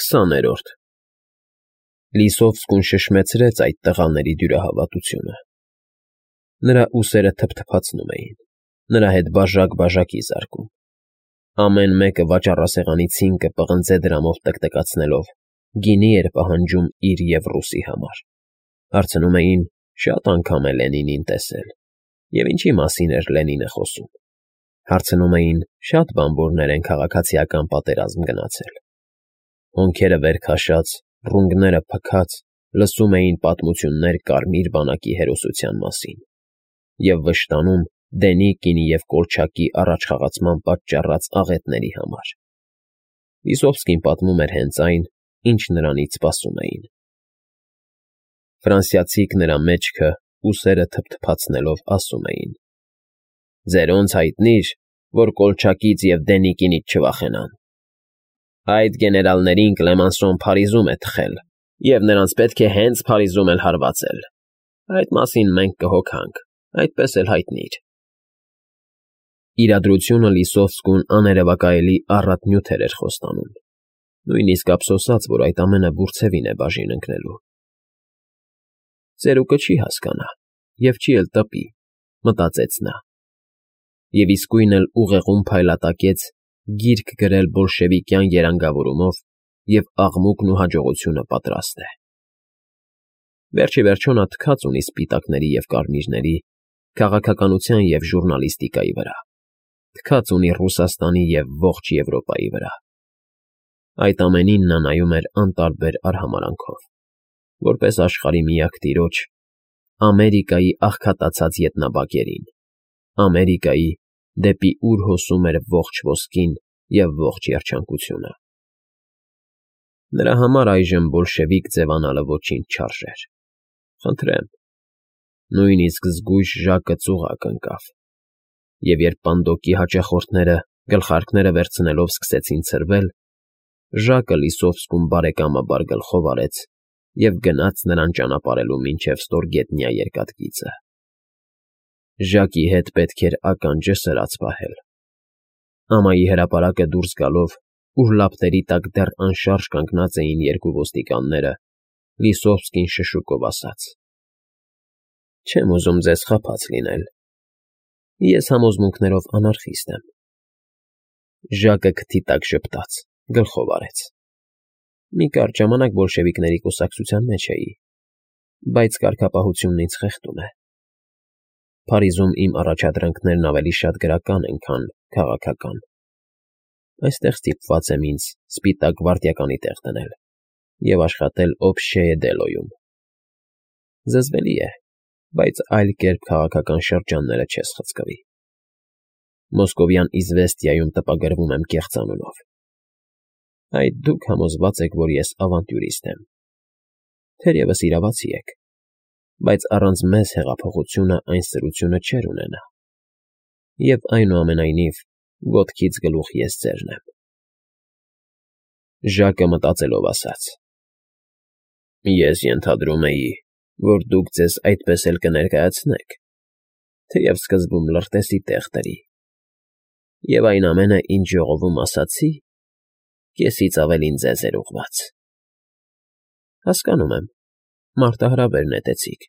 20-րդ Լիսովսկուն շշմեցրեց այդ տղաների դյուրահավատությունը։ Նրա ուսերը թփթփացնում էին, նրա հետ բաժակ-բաժակի զարկում։ Ամեն մեկը վաճառասեղանի ցինկը պղնձե դրամով տկտկացնելով գինի էր պահանջում իր և ռուսի համար։ Հարցնում էին՝ շատ անգամ է Լենինին տեսել, և ինչի մասին էր Լենինը խոսում։ Հարցնում էին՝ շատ բանվորներ են քաղաքացիական պատերազմ գնացել։ Հոնքերը վեր քաշած, ռունգները փքած, լսում էին պատմություններ Կարմիր բանակի հերոսության մասին և վշտանում Դենիկինի և Կոլչակի առաջխաղացման պատճառած աղետների համար։ Լիսովսկին պատմում էր հենց այն, ինչ նրանից սպասում էին։ Ֆրանսիացիք նրա մեջքը, ուսերը թփթփացնելով ասում էին. «Ձերոնց հայտնի՞ր, որ Կոլչակից և Դենիկինից չվախենան։ Այդ գեներալներին Կլեմանսոն Փարիզում է թխել, և նրանց պետք է հենց Փարիզում էլ հարվածել։ Այդ մասին մենք կհոգանք, այդպես էլ հայտնի էր»։ Իրադրությունը Լիսովսկուն աներևակայելի առատ նյութեր էր խոստանում, նույնիսկ ափսոսաց, որ այդ ամենը բուրցևին է բաժին ընկնելու։ Ծերուկը չի հասկանա և չի էլ տպի, մտածեց նա, և իսկույն էլ ուղեղում փայլատակեց գիրք գրել բոլշևիկյան երանգավորումով և աղմուկն ու հաջողությունը պատրաստ է։ Վերջիվերջո նա թքած ունի սպիտակների և կարմիրների, քաղաքականության և ժուռնալիստիկայի վրա, թքած ունի Ռուսաստանի և ողջ Եվրոպայի վրա։ Այդ ամենին նա նայում էր անտարբեր արհամարանքով, որպես աշխարհի միակ տիրոջ, Ամերիկայի աղքատացած ետնաբակերին, Ամերիկայի, դեպի ուր հոսում էր ողջ ոսկին և ողջ երջանկությունը։ Նրա համար այժմ բոլշևիկ ձևանալը ոչինչ չարժեր։ Խնդրեմ։ Նույնիսկ զգույշ Ժակը ծուղակ ընկավ, և երբ պանդոկի հաճախորդները գլխարկները վերցնելով սկսեցին ցրվել, Ժակը Լիսովսկուն բարեկամաբար գլխով արեց և գնաց նրան ճանապարհելու մինչև ստորգետնյա երկաթգիծը։ Ժակի հետ պետք էր ականջը սրած պահել։ Ամայի հրապարակը դուրս գալով, ուր լապտերի տակ դեռ անշարժ կանգնած էին երկու ոստիկանները, Լիսովսկին շշուկով ասաց. «Չեմ ուզում ձեզ խաբած լինել։ Ես համոզմունքներով անարխիստ եմ»։ Ժակը քթի տակ ժպտաց, գլխով արեց։ Մի կարճ ժամանակ բոլշևիկների կուսակցության մեջ էի, բայց կարգապահությունն ինձ խեղդում է։ Փարիզում իմ առաջադրանքներն ավելի շատ գրական են, քան քաղաքական։ Այստեղ ստիպված եմ ինձ սպիտակ գվարդիականի տեղ դնել և աշխատել Օբշեե դելոյում։ Զզվելի է, բայց այլ կերպ քաղաքական շրջանները չես խցկվի։ Մոսկովյան Իզվեստիայում տպագրվում եմ կեղծանունով։ Այդ դուք համոզված եք, որ ես ավանտյուրիստ եմ։ Թերևս իրավացի եք, բայց առանց մեզ հեղափոխությունը այն սրությունը չէր ունենա։ Եվ այնուամենայնիվ, ոտքից գլուխ ես ձերն եմ։ Ժակը մտածելով ասաց. «Ես ենթադրում էի, որ դուք ձեզ այդպես էլ կներկայացնեք, թեև սկզբում լրտեսի տեղ տրի, և այն ամենը, ինչ ժողովում ասացի, կեսից ավելին ձեզ էր ուղղված»։ Հասկանում եմ, մարտահրավեր նետեցիք։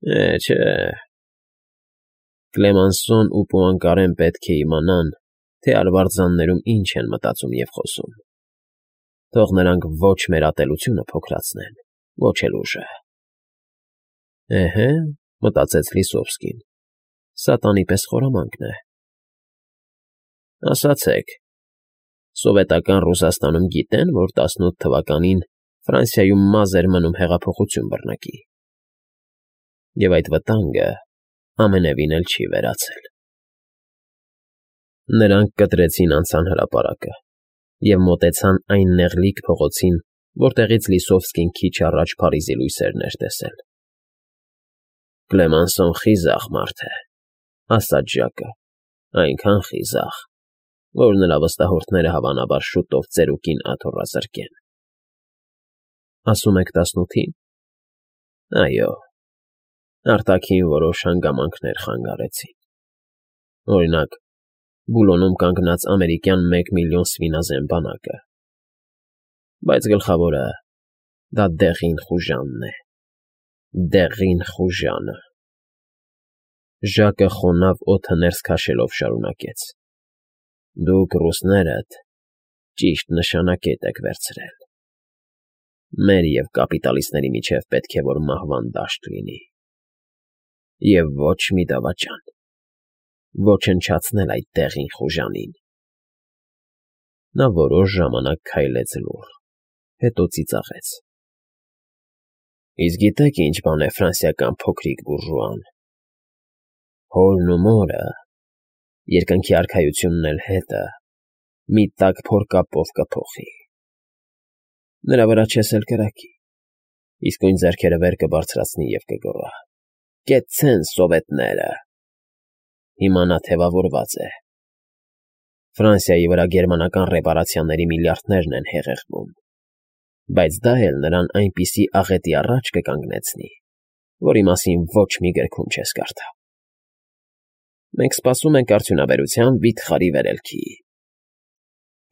Չէ։ Կլեմանսոն ու Պուանկարեն պետք է իմանան, թե արվարձաններում ինչ են մտածում և խոսում։ Թող նրանք ոչ մեր ատելությունը փոքրացնեն, ոչ էլ ուժը։ Էհե, մտածեց Լիսովսկին, սատանի պես խորամանկ է։ Ասացեք, սովետական Ռուսաստանում գիտեն, որ 18 թվականին Ֆրանսիայում մազ էր մնում հեղափոխություն բռնկի։ Եվ այդ վտանգը ամենևին էլ չի վերացել։ Նրանք կտրեցին անցան հրապարակը և մոտեցան այն նեղլիկ փողոցին, որտեղից Լիսովսկին քիչ առաջ Փարիզի լույսերն էր տեսել։ Կլեմանսոն խիզախ մարդ է, ասաց Ժակը, այնքան խիզախ, որ նրա վստահորդները հավանաբար շուտով ծերուկին աթոռազրկեն։ Ասում եք 18-ին։ Այո, արտաքին որոշ հանգամանքներ խանգարեցին։ Օրինակ, Բուլոնում կանգնած ամերիկյան 1 միլիոն սվինազեն բանակը։ Բայց գլխավորը դա Դեղին Խուժանն է, Դեղին Խուժանը։ Ժակը խոնավ օդը ներս քաշելով շարունակեց. Դուք ռուսներդ ճիշտ նշանակետ եք վերցրել։ Մեր և կապիտալիստների միջև պետք է որ մահվան դաշտ լինի։ Եվ ոչ մի դավաճան, ոչնչացնել այդ Դեղին Խուժանին։ Նա որոշ ժամանակ քայլեց լուռ, հետո ծիծաղեց. Իսկ գիտեք ինչ բան է ֆրանսիական փոքրիկ բուրժուան։ Հորն ու մորը, երկնքի արքայությունն էլ հետը, մի տաք փորկապով կփոխի։ Նրա վրա չես էլ կրակի, իսկույն ձեռքերը վեր կբարձրացնի և կգոռա. Կեցցեն սովետները։ Հիմա նա թևավորված է։ Ֆրանսիայի վրա գերմանական ռեպարացիաների միլիարդներն են հեղեղվում, բայց դա էլ նրան այնպիսի աղետի առաջ կկանգնեցնի, որի մասին ոչ մի գրքում չես կարդա։ Մենք սպասում ենք արդյունաբերության վիթխարի վերելքի։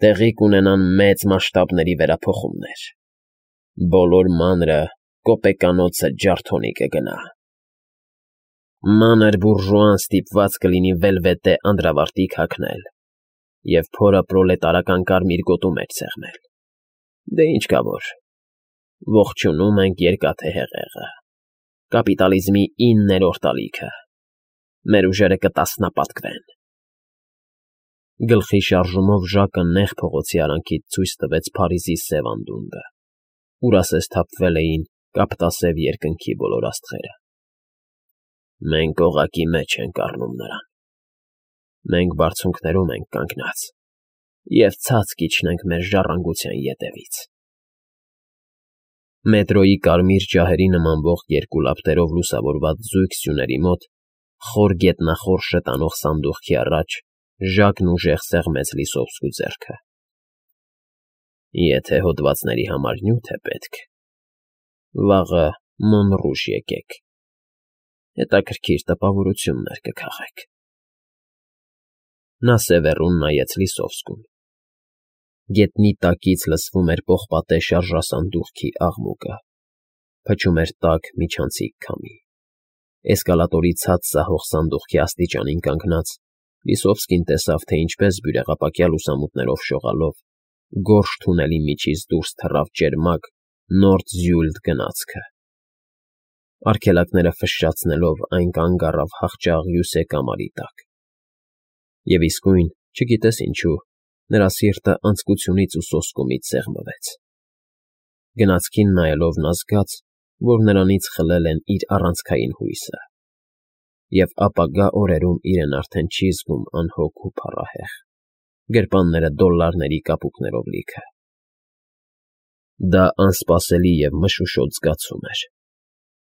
Տեղի կունենան մեծ մասշտաբների վերափոխումներ։ Բոլոր մանրը, կոպեկանոցը ջարդոնի կգնա։ Մանր բուրժուան ստիպված կլինի վելվետե անդրավարտիք հագնել և փորը պրոլետարական կարմիր գոտու մեջ սեղմել։ Դե ինչ կա որ, ողջունում ենք երկաթե հեղեղը, կապիտալիզմի 9-րդ ալիքը, մեր ուժերը կտասնապատկվեն։ Գլխի շարժումով Ժակը նեղ փողոցի արանքից ցույց տվեց Փարիզի սև անդունդը, ուր ասես թափվել էին կապտասև երկնքի բոլոր աստղերը։ Մենք օղակի մեջ ենք առնում նրան։ Մենք բարձունքներում ենք կանգնած և ցած կիջնենք մեր ժառանգության ետևից։ Մետրոյի կարմիր ջահերի նմանվող երկու լապտերով լուսավորված զույգ սյուների մոտ, խոր գետնախորշը տանող սանդուղքի առաջ Ժակն ուժեղ սեղմեց Լիսովսկու ձեռքը։ Եթե հոդվածների համար նյութ է պետք, վաղը Մոնռուժ եկեք, հետաքրքիր տպավորություններ կքաղեք։ Նա սևեռուն նայեց Լիսովսկուն։ Գետնի տակից լսվում էր պողպատե շարժասանդուղքի աղմուկը, փչում էր տաք միջանցիկ քամի։ Էսկալատորի ցած սահող սանդուղքի աստիճանին կանգնած Լիսովսկին տեսավ, թե ինչպես բյուրեղապակյա լուսամուտներով շողալով գորշ թունելի միջից դուրս թռավ ճերմակ Նորդ-Զյուլդ գնացքը։ Արգելակները ֆշշացնելով այն կանգ առավ հախճաղ կամարի տակ։ Եվ իսկույն, չգիտես ինչու, նրա սիրտը անձկությունից ու սոսկումից սեղմվեց։ Գնացքին նայելով նա զգաց, որ նրանից խլել են իր առանցքային հույսը, և ապագա օրերում իրեն արդեն չի զգում անհոգ ու փառահեղ, գրպանները դոլլարների կապուկներով լիքը։ Դա անսպասելի և մշուշոտ զգացում էր։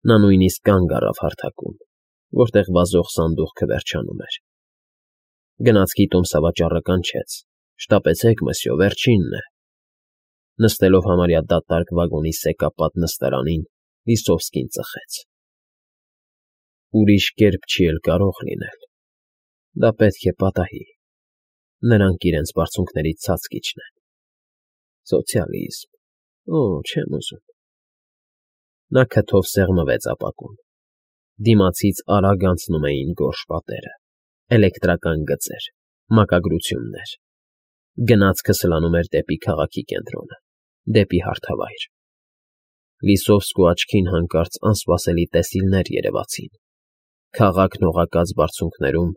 Նա նույնիսկ կանգ առավ հարթակում, որտեղ վազող սանդուղքը վերջանում էր։ Գնացքի տոմսավաճառը կանչեց. «Շտապեցեք, մսյո, վերջինն է»։ Նստելով համարյա դատարկ վագոնի սեկապատ նստարանին, Լիսովսկին ծխեց։ Ուրիշ կերպ չի էլ կարող լինել։ Դա պետք է պատահի։ Նրանք իրենց բարձունքներից ցած կիջնեն։ Սոցիալիզմ… Օ, չեմ ուզում։ Նա քթով սեղմվեց ապակուն։ Դիմացից արագ անցնում էին գորշ պատերը, էլեկտրական գծեր, մակագրություններ։ Գնացքը սլանում էր դեպի քաղաքի կենտրոնը, դեպի հարթավայր։ Լիսովսկու աչքին հանկարծ անսպասելի տեսիլներ երևացին։ Քաղաքն օղակած բարձունքներում,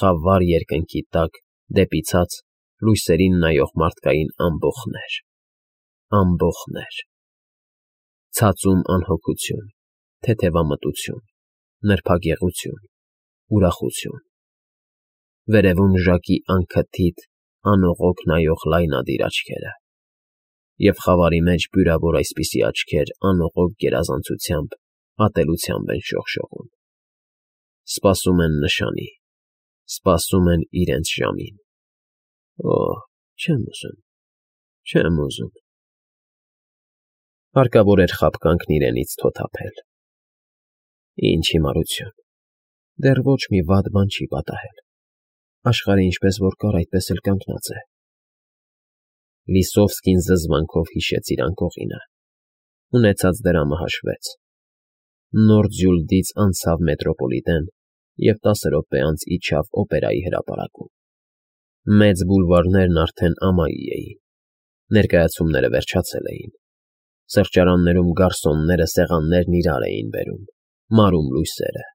խավար երկնքի տակ, դեպի ցած, լույսերին նայող մարդկային ամբոխներ… ամբոխներ… Ցածում անհոգություն, թեթևամտություն, նրբագեղություն, ուրախություն… Վերևում Ժակի անքթիթ, անողոք նայող լայնադիր աչքերը… Եվ խավարի մեջ բյուրավոր այսպիսի աչքեր անողոք գերազանցությամբ, ատելությամբ են շողշողում։ Սպասում են նշանի, սպասում են իրենց ժամին… Օ, չեմ ուզում, չեմ ուզում… Հարկավոր էր խաբկանքն իրենից թոթափել։ Ինչ հիմարություն… Դեռ ոչ մի վատ բան չի պատահել։ Աշխարհը ինչպես որ կար, այդպես էլ կանգնած է։ Լիսովսկին զզվանքով հիշեց իր անկողինը։ Ունեցած դրամը հաշվեց։ Նոր Ձյուլդից անցավ մետրոպոլիտեն և 10 րոպե անց իջավ օպերայի հրապարակում։ Մեծ բուլվարներն արդեն ամայի էին։ Ներկայացումները վերջացել էին։ Սրճարաններում գարսոնները սեղաններն իրար էին բերում, մարում լույսերը։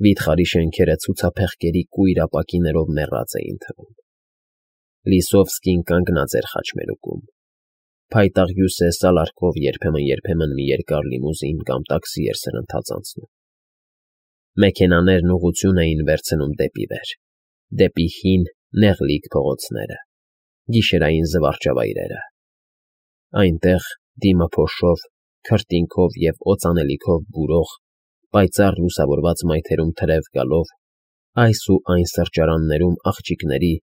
Վիթխարի շենքերը ցուցափեղկերի կույր ապակիներով մեռած էին թվում։ Լիսովսկին կանգնած էր խաչմերուկում։ Փայտաղ հյուսե սալարկով երբեմն մի երկար լիմուզին կամ տաքսի էր սրընթաց անցնում։ Մեքենաներն ուղղություն էին վերցնում դեպի վեր, դեպի հին, նեղլիկ փողոցները, գիշերային զվարճավայրերը։ Այնտեղ, դիմը փոշով, քրտինքով և օծանելիքով բուրող, պայծառ լուսավորված մայթերում թրև գալով, այս ու այն սրճարաններում աղջիկների,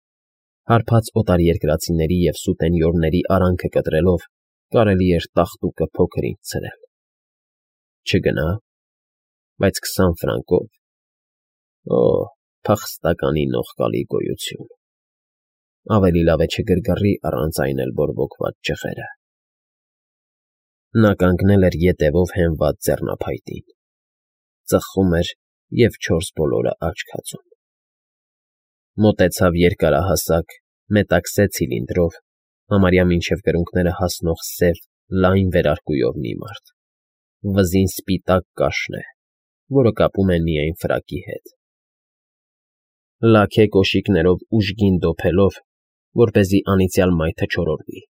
հարբած օտարերկրացիների և սուտենյորների արանքը կտրելով կարելի էր տաղտուկը փոքր֊ինչ ցրել։ Չգնա՞, բայց 20 ֆրանկով… Օ՜, փախստականի նողկալի գոյություն… Ավելի լավ է չգրգռի առանց այն էլ բորբոքված ճղերը։ Նա կանգնել էր ետևով հենված ձեռնափայտին։ Ծխում էր և 4 բոլորը աչք հածում։ Մոտեցավ երկարահասակ, մետաքսե ցիլինդրով, համարյա մինչև կրունկները հասնող սև, լայն վերարկուով մի մարդ։ Վզին սպիտակ կաշն է, որը կապում են միայն ֆրակի հետ։ Լաքե կոշիկներով ուժգին դոփելով, որպեսզի անիծյալ մայթը չորորվի։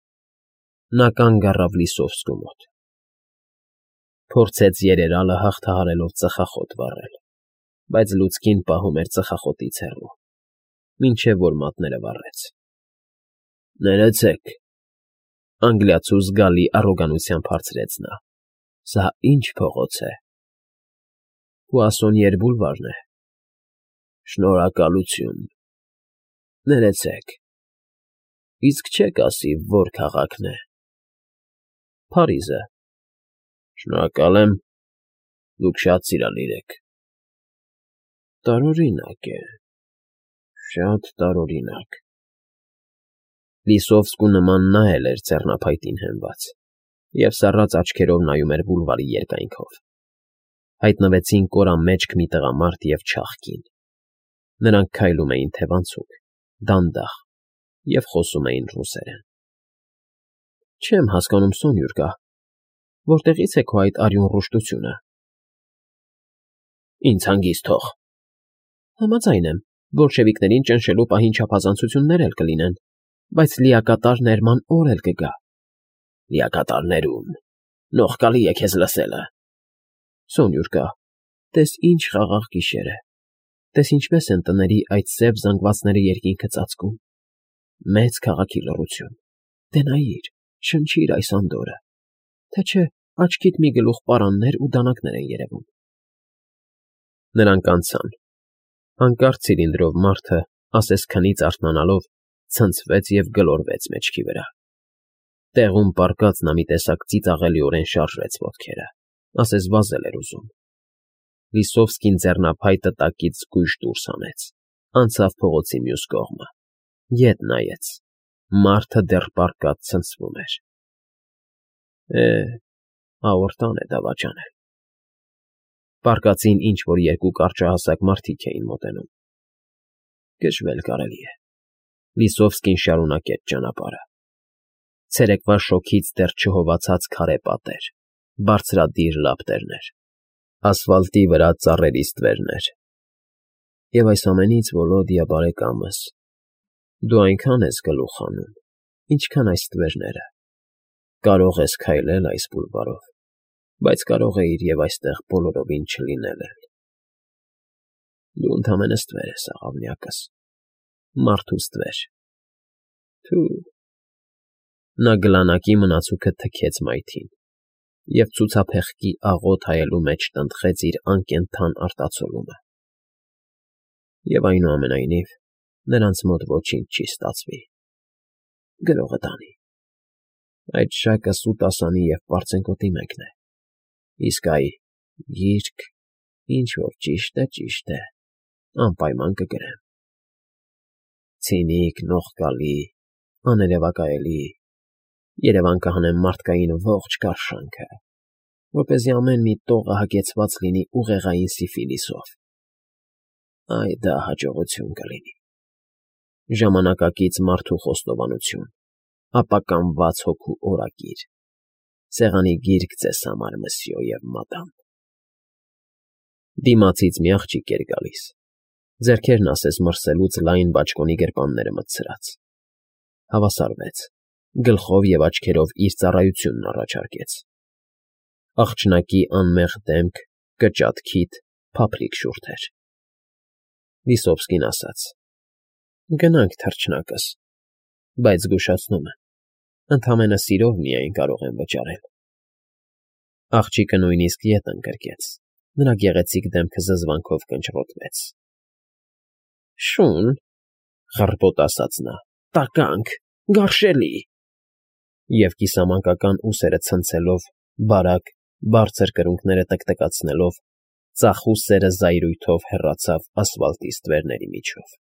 Նա կանգ առավ Լիսովսկու մոտ։ Փորձեց երերալը հաղթահարելով ծխախոտ վառել, բայց լուցկին պահում էր ծխախոտից հեռու, մինչև որ մատները վառեց։ Ներեցեք,֊ անգլիացու զգալի առոգանությամբ հարցրեց նա,֊ սա ի՞նչ փողոց է։ Պուասոնիեր բուլվարն է։ Շնորհակալություն։ Ներեցեք, իսկ չեք ասի, որ քաղաքն է։ Փարիզը։ Շնորհակալ եմ, դուք շատ սիրալիր եք։ Տարօրինակ է, շատ տարօրինակ։ Լիսովսկու նման նա էլ էր ձեռնափայտին հենված և սառած աչքերով նայում էր բուլվարի երկայնքով։ Հայտնվեցին կորամեջք մի տղամարդ և չաղ կին։ Նրանք քայլում էին թևանցուկ, դանդաղ և խոսում էին ռուսերեն։ Չեմ հասկանում, Սոնյուրկա, որտեղի՞ց է քո այդ արյուն ռուշտությունը։ Ինձ հանգիստ թող։ Համաձայն եմ, բոլշևիկներին ճնշելու պահին չափազանցություններ էլ կլինեն, բայց լիակատար ներման օր էլ կգա։ Լիակատարներում… Նողկալի է քեզ լսելը։ Սոնյուրկա, տես ինչ խաղաղ գիշեր է, տես ինչպես են տների այդ սև զանգվածները երկինքը ծածկում։ Մեծ քաղաքի լռություն։ Դե նայիր, շնչիր այս անդորրը, թե չէ աչքիդ մի գլուխ պարաններ ու դանակներ են երևում։ Նրանք անցան։ Հանկարծ ցիլինդրով մարդը, ասես քնից արթնանալով, ցնցվեց և գլորվեց մեջքի վրա։ Տեղում պառկած նա մի տեսակ ծիծաղելիորեն շարժեց ոտքերը, ասես վազել էր ուզում։ Լիսովսկին ձեռնափայտը տակից զգույշ դուրս հանեց, անցավ փողոցի մյուս կողմը, ետ նայեց. մարդը դեռ պառկած ցնցվում էր։ Աորտան է դավաճանել։ Պառկածին ինչ֊որ երկու կարճահասակ մարդիկ էին մոտենում։ Գժվել կարելի է։ Լիսովսկին շարունակեց ճանապարհը։ Ցերեկվա շոգից դեռ չհովացած քարե պատեր, բարձրադիր լապտերներ, ասֆալտի վրա ծառերի ստվերներ։ Եվ այս ամենից, Վոլոդյա բարեկամս, դու այնքան ես գլուխ հանում, ինչքան այս ստվերները։ Կարող ես քայլել այս բուլվարով, բայց կարող էիր և այստեղ բոլորովին չլինել էլ։ Դու ընդամենը ստվեր ես, աղավնյակս, մարդու ստվեր։ Թո՛ւ… Նա գլանակի մնացուկը թքեց մայթին և ցուցափեղկի աղոտ հայելու մեջ տնտղեց իր անկենդան արտացոլումը։ Եվ այնուամենայնիվ, նրանց մոտ ոչինչ չի ստացվի։ Գրողը տանի։ Այդ շակը սուտ ասանի և պարծենկոտի մեկն է։ Իսկ այ գիրք, ինչ֊որ ճիշտ է, անպայման կգրեմ։ Ցինիկ, նողկալի, աներևակայելի, Երևան կհանեմ մարդկային ողջ կարշանքը, որպեսզի ամեն մի տողը հագեցված լինի ուղեղային սիֆիլիսով։ Այ դա հաջողություն կլինի։ Ժամանակակից մարդու խոստովանություն, ապականված հոգու օրագիր, սեղանի գիրք ձեզ համար, մսյո և մադամ։ Դիմացից մի աղջիկ էր գալիս, ձեռքերն ասես մրսելուց լայն բաճկոնի գրպանները մտցրած։ Հավասարվեց, գլխով և աչքերով իր ծառայությունն առաջարկեց։ Աղջնակի անմեղ դեմք, կճատ քիթ, փափլիկ շուրթեր։ Վիսովսկին ասաց. «Գնանք, թռչնակս, բայց զգուշացնում եմ, ընդամենը սիրով միայն կարող եմ վճարել»։ Աղջիկը նույնիսկ ետ ընկրկեց, նրա գեղեցիկ դեմքը զզվանքով կնճռոտվեց։ «Շուն,֊ խռպոտ ասաց նա,֊ տականք, գարշելի…» Եվ կիսամանկական ուսերը ցնցելով, բարակ, բարձր կրունկները տկտկացնելով, ծախու սերը զայրույթով հեռացավ ասֆալտի ստվերների միջով։